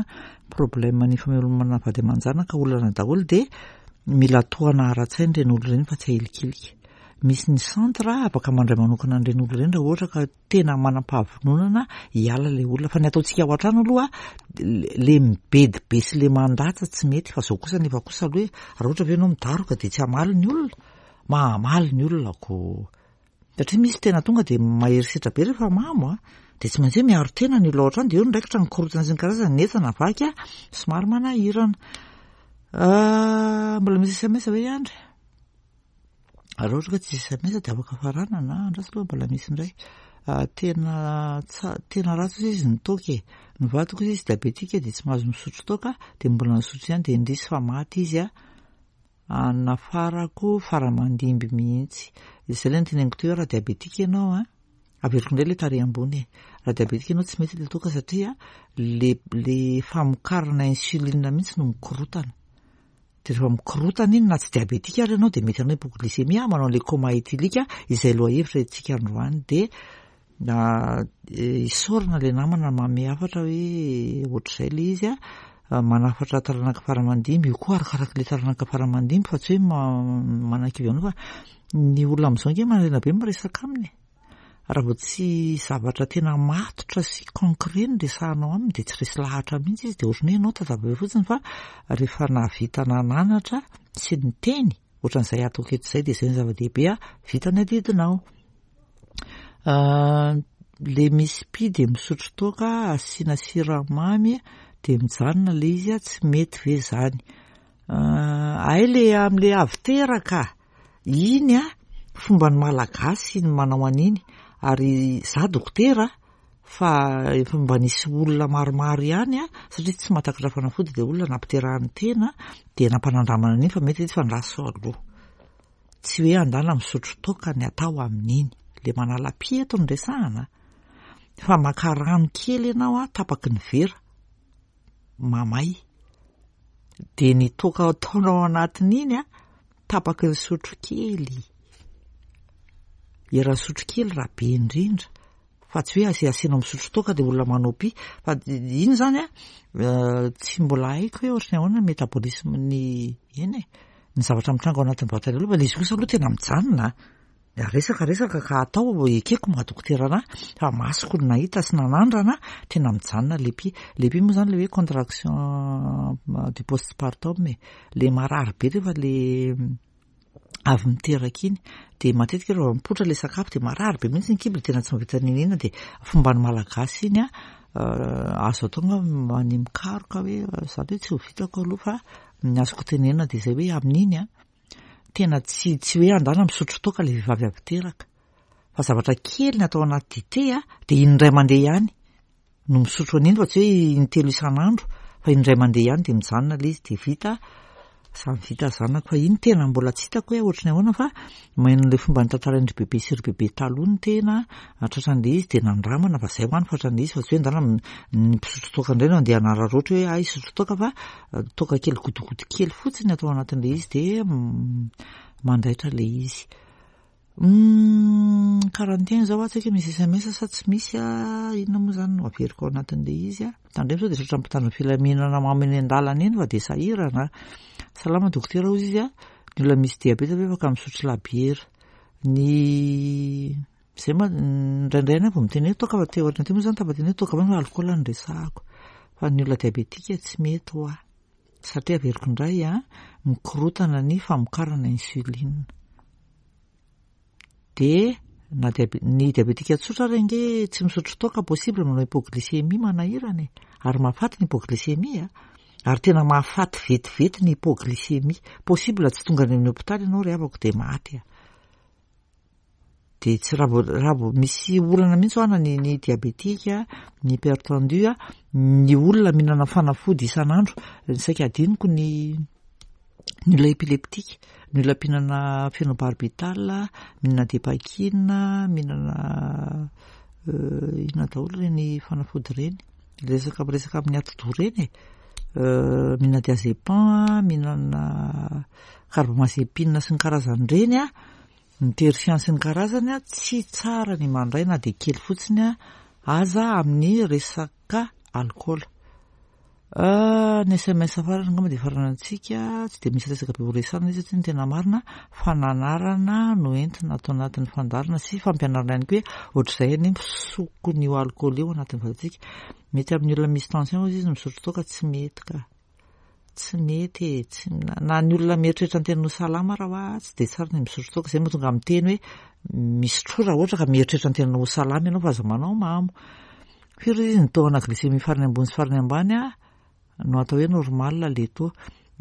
problème ny famelomana vady aman-janaka, olana daholo, dia mila tohana ara-tsaina ireny olona ireny fa tsy ahilikilika. Misy ny centre afaka mandray manokana an'ireny olona ireny raha ohatra ka tena manam-pahavononana hiala ilay olona. Fa ny ataontsika ao an-trano aloha, le mibedy be sy le mandatsa tsy mety, fa zao kosa nefa kosa aloha hoe raha ohatra ve ianao midaroka dia tsy hamaly ny olona, mahamaly ny olona ko. Satria misy tena tonga dia mahery setra be rehefa mamo a, dia tsy maintsy hoe miaro tena ny olona ao an-trano, dia eo ny raikitra ny korotana sy ny karazany, ny entana vaky a, somary manahirana. Mbola misy S M S ve Andry? Raha ohatra ka tsisy S M S dia afaka faranana, andraso aloha mbola misy indray. Tena tsa- tena ratsy ozy izy ny toaka e. Ny vadiko izy diabetika dia tsy mahazo misotro toaka, dia mbola nisotro ihany dia indrisy fa maty izy a. Nafarako faramandimby mihitsy. Izay ilay noteneniko teo hoe raha diabetika ianao a, averiko indray ilay tarehy ambony e. Raha diabetika ianao tsy mety ilay toaka satria le le famokarana insuline mihitsy no mikorotana. Dia rehefa mikorotana iny na tsy diabetika ary ianao dia mety hanao hypoglycémie, manao an'ilay coma éthylique izay lohahevitra isika androany. Dia na isaorana ilay namana manome hafatra hoe ohatr'izay ilay izy a, manafatra taranaka faramandimby io koa arakarak'ilay taranaka faramandimby fa tsy hoe manakivy anao, fa ny olona amin'izao nge manarena be miresaka aminy. Raha vao tsy zavatra tena matotra sy concret no resahanao aminy dia tsy resy lahatra mihitsy izy, dia ohatran'ny hoe ianao tazava eo fotsiny, fa rehefa nahavita nananatra sy niteny ohatran'izay ataoko eto izay dia izay ny zava-dehibe a, vita ny adidinao. Le misy py dia misotro toaka asiana siramamy dia mijanona le izy a, tsy mety ve zany? Ay, le amin'le avy teraka iny a, fomba ny malagasy ny manao an'iny, ary za dokotera fa efa mba nisy olona maromaro ihany a, satria tsy mahatakatra fanafody le olona nampiterahany tena dia nampanandramana an'iny fa mety izy fa ndraso aloha. Tsy hoe andana misotro toaka ny atao amin'iny, le manala py eto no resahana, fa maka rano kely ianao a, tapaky ny vera mamay, dia ny toaka ataonao anatin'iny a, tapaky ny sotro kely, eran'ny sotro kely raha be indrindra, fa tsy hoe asi asianao misotro toaka dia olona manao py. Fa iny zany a, tsy mbola haiko hoe ohatran'ny ahoana ny métabolisme ny eny e, ny zavatra mitranga ao anatin'ny vatana aloha, fa le izy kosa aloha tena mijanona. Resaka resaka ka atao ekeko maha dokotera anahy fa masoko no nahita sy nanandrana, tena mijanona le py. Le py moa zany le hoe contraction du postpartum e, le marary be rehefa le Avy miteraka iny de matetika rehefa mipoitra le sakafo de marary be mihitsy ny kibo, de tena tsy mahavita n'inona. De fomban'ny Malagasy iny a, azo atao angamba ny mikaroka hoe zany hoe tsy ho vitako aloha, fa ny azoko tenenina de zay hoe amin'iny a, tena tsy tsy hoe andana misotro toaka le vehivavy avy teraka, fa zavatra kely ny atao anaty dite a, de indray mandeha ihany no misotro an'iny, fa tsy hoe intelo isan'andro, fa indray mandeha ihany de mijanona le izy de vita, samy vita zanako. Fa iny tena mbola tsy hitako hoe ohatry ny ahoana, fa maheno le fomba nitantarain-dry bebe sy ry bebe taloha ny tena tratran'le izy de nandramana, fa zay ho any fatran'le izy, fa tsy hoe ndana ny mpisotro toaka indray no andeha hanararaotra hoe ay hisotro toaka, fa toaka kely gotigoty kely fotsiny atao anatin'le izy de mandaitra le izy. Quarante et un zao a, tsy haiko hoe misy S M S sa tsy misy a. Inona moa zany no averiko ao anatin'le izy a? Tandremo sao de tratra mpitandro ny filaminana mamy eny an-dalana eny fa de sahirana. Salama dokotera, hozy izy a, ny olona misy diabeta ve afaka misotro labiera? Ny zay ma indraindray any vao miteny hoe toaka, fa teo aoriana teo moa zany tafateny hoe toaka fa alcool no resahako, fa ny olona diabetika tsy mety ho ahy, satria averiko indray a, mikorotana ny famokarana insuline. De na diabe- ny diabetika tsotra ary ange tsy misotro toaka, possible manao hypoglycémie manahirana e, ary mahafaty ny hypoglycémie a, ary tena mahafaty vetivety ny hypoglycémie. Possible tsy tonga any amin'ny hôpitaly ianao ry havako de maty a. De tsy raha vao raha vao misy olana mihitsy ho ana ny ny diabetika, ny hypertendu a, ny olona mihinana fanafody isan'andro, saika adinoko ny ny olona épileptique, ny olona mpihinana phénobarbital, mihinana Dépakine, mihinana inona daholo ireny fanafody ireny, resaka miresaka amin'ny atidoha ireny e, mihinana diazépam, mihinana carbamazépine sy ny karazan'ireny a, ny Terfian sy ny karazany a, tsy tsara ny mandray na de kely fotsiny a aza amin'ny resaka alcool. Ny S M S farany angamba de faranantsika, tsy de misy resaka be ho resahana izy satria ny tena marina fananarana no entina atao anatin'ny fandaharana sy fampianarana ihany koa hoe ohatr'izay anie misokon'io alcool io anatin'ny vatantsika. Mety amin'ny olona misy tension hozy izy misotro toaka? Tsy mety ka, tsy mety e, tsy na ny olona mieritreritra ny tena ho salama raha hoa tsy de tsara ny misotro toaka. Zay mahatonga miteny hoe misotroa raha ohatra ka mieritreritra ny tena ho salama ianao, fa aza manao mamo. Firy izy ny taux-na glycémie farany ambony sy farany ambany a no atao hoe normal le taux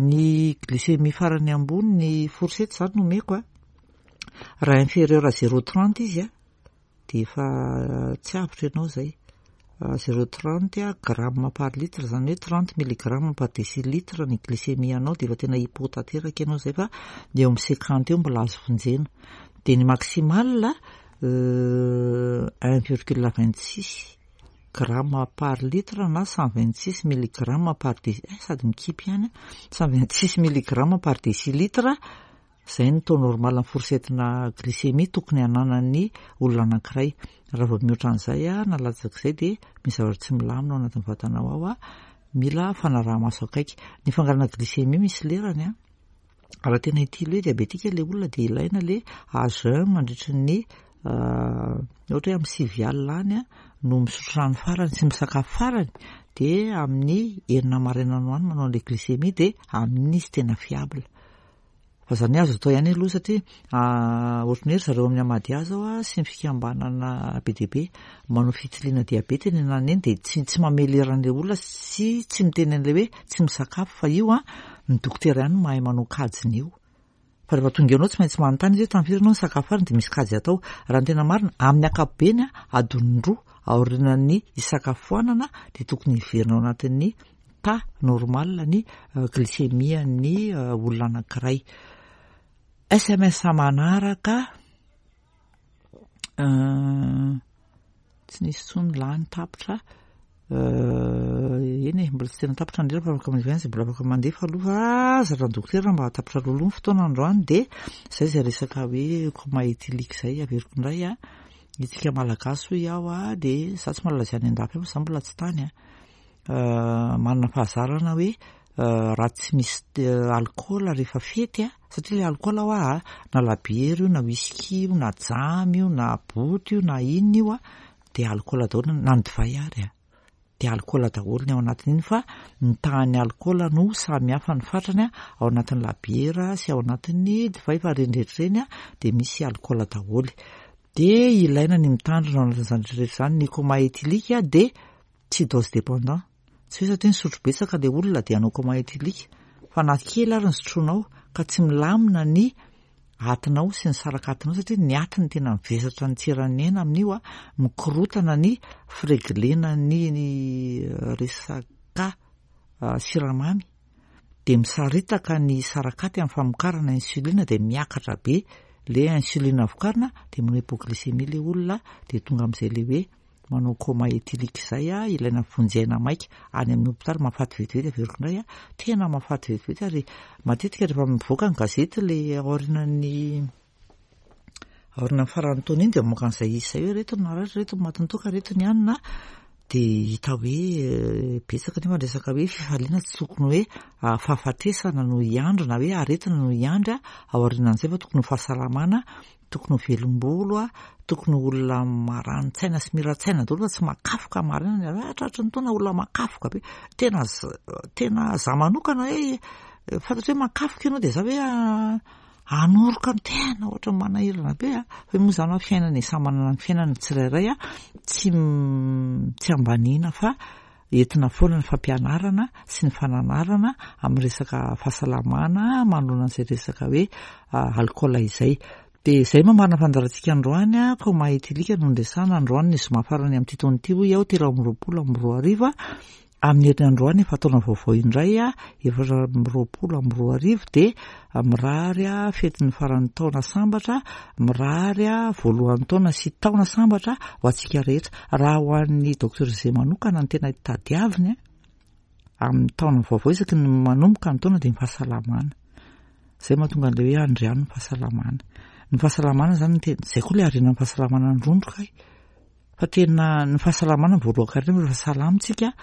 ny glycémie farany ambony? Ny fourchette zany no omeko a, raha inférieur à zéro trente izy a de efa tsy avotra ianao zay. Zéro trente a gramme par litre, zany hoe trente milligramme par décilitre ny glycémie anao, de efa tena hypo tanteraka ianao zay, fa eo amin'ny cinquante eo mbola azo vonjena. De ny maximal un virgule vingt six gramme par litre na cent vingt six milligramme par dé eh, sady mikipy ihany, cent vingt six milligramme par décilitre. Zay ny taux normal ny fourchette-na glycémie tokony hananany olona anankiray. Raha vao mihoatra an'izay a na latsak'izay de misy zavatra tsy milamina ao anatin'ny vatanao ao a, mila fanaraha-maso akaiky. Ny fangalana glycémie misy lerany a, raha tena utile hoe diabetika le olona de ilaina le à jeun mandritry ny ohatra hoe amin'ny sivy alina any a no misotro rano farany sy misakafo farany, de amin'ny enina maraina no any manao an'le glycémie, de amin'iny izy tena fiable. Fa zany azo atao ihany aloha, satria ohatry ny hoe ry zareo amin'ny Amadia zao a sy ny fikambanana be dia be manao fitiliana diabeta eny ananany eny, de tsy tsy mamely olona sy tsy miteny an'ilay hoe tsy misakafo, fa io a ny dokotera ihany no mahay manao kajiny io. Fa rehefa tonga eo anao tsy maintsy manontany izy hoe tamin'ny firy ianao nisakafo farany, de misy kajy atao. Raha ny tena marina, amin'ny ankapobeny a, adiny roa aorian'ny isakafoanana de tokony hiverina ao anatin'ny taux normal ny glycémie ny olona anankiray. S M S manaraka tsy nisy intsony, lany, tapitra eny e. Mbola tsy tena tapitra ny lera fa afaka mandefa ihany zay mbola afaka mandefa aloha, fa zatra ny dokotera mba tapitra alohaloha ny fotoana androany. De zay zay resaka hoe coma éthylique zay averiko indray a, itsika Malagasy hoy aho a, de za tsy mahalala zay any an-dafy fa za mbola tsy tany a, manana fahazarana hoe raha tsy misy alcool rehefa fety a, satria le alcool hoa a, na labiera io na whisky io na jamy io na boty io na inona io a, de alcool daholo na ny divay ary a. Dia alikaola daholo ny ao anatin'iny, fa ny tahan'ny alikaola no samy hafa ny fatrany ao anatin'ny labiera sy ao anatin'ny divay, fa ireny rehetra ireny dia misy alikaola daholo. Dia ilaina ny mitandrina ao anatin'izany rehetra rehetra izany. Ny coma éthylique dia tsy dose dépendant, tsy hoe satria nisotro betsaka ilay olona dia hanao coma éthylique, fa na kely ary ny sotroinao ka tsy milamina ny atinao sy ny sarakatinao, satria ny atiny tena mivesatra ny tsiran'ny aina amin'io a, mikorotana ny fireglena ny resaka siramamy, dia misaritaka ny sarakaty amin'ny famokarana insuline, dia miakatra be le insuline vokarina, dia manao hypoglycémie le olona, dia tonga amin'izay le hoe manao coma éthylique izay a, ilaina vonjy aina maika any amin'ny hopitaly. Mahafaty vetivety, averiko indray a, tena mahafaty vetivety. Ary matetika rehefa mivoaka ny gazety le aorian'ny aorian'ny faran'ny taona iny, dia mamoaka an'izay izy izay hoe reto ny naratra, reto ny matin'ny toaka, reto ny hanina, dia hita hoe betsaka. Nefa resaka hoe fifaliana tsy tokony hoe fahafatesana no hiandry na hoe aretina no hiandry ao aorianan'izay, fa tokony ho fahasalamana, tokony ho velombolo a, tokony ho olona marani-tsaina sy mira-tsaina daholo, fa tsy makafoka maraina ny tratry ny taona olona makafoka be. Tena tena za manokana hoe fantatro hoe makafoka ianao, dia za hoe anoroka ny tena ohatra manahirana be a. Fa moa zany hoe fiainana e, samy manana ny fiainana tsirairay a, tsy tsy ambaniana fa entina foana ny fampianarana sy ny fananarana amin'ny resaka fahasalamana manoloana an'izay resaka hoe alikaola izay. Dia izay mamarana fandaharantsika androany a, coma éthylique no ndresana androany ny zoma farany amin'ity taona ity, hoy aho, telo amby roapolo amby roa arivo. Amin'ny heriny androany efa taona vaovao indray a, efatra amby roapolo amby roa arivo, dia mirary a fetin'ny faran'ny taona sambatra, mirary a voalohan'ny taona sy taona sambatra ho antsika rehetra. Raha ho an'ny docteur Zay manokana, ny tena tadiaviny a amin'ny taona vaovao isaky ny manomboka ny taona dia ny fahasalamana. Izay mahatonga an'ilay hoe andriano ny fahasalamana. Ny fahasalamana zany tena izay koa ilay harena, ny fahasalamana ny rondroka e. Fa tena ny fahasalamana voalohan-karena, rehefa salama tsika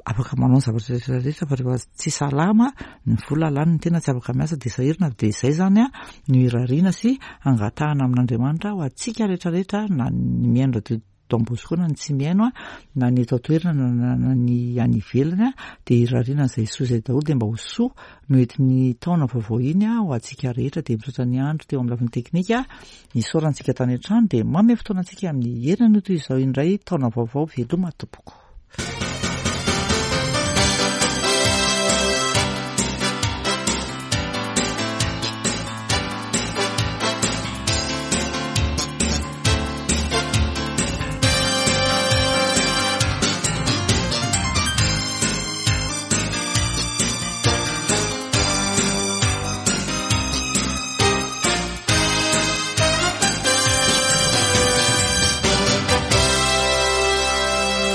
afaka manao ny zavatra rehetra rehetra, fa rehefa tsy salama, ny vola lany, ny tena tsy afaka miasa, dia sahirana. Dia izay zany a no irariana sy angatahana amin'Andriamanitra ho antsika rehetra rehetra, na ny mihaino radio Don Bosco na ny tsy mihaino a, na ny eto an-toerana na na ny any ivelany a, dia irariana izay soa izay daholo, dia mba ho soa no entin'ny taona vaovao iny a ho antsika rehetra. Dia misaotra ny andro teo amin'ny lafiny teknika, nisaorantsika tany an-trano, dia manome fotoana antsika amin'ny heriny no toy izao indray taona vaovao. Veloma tompoko.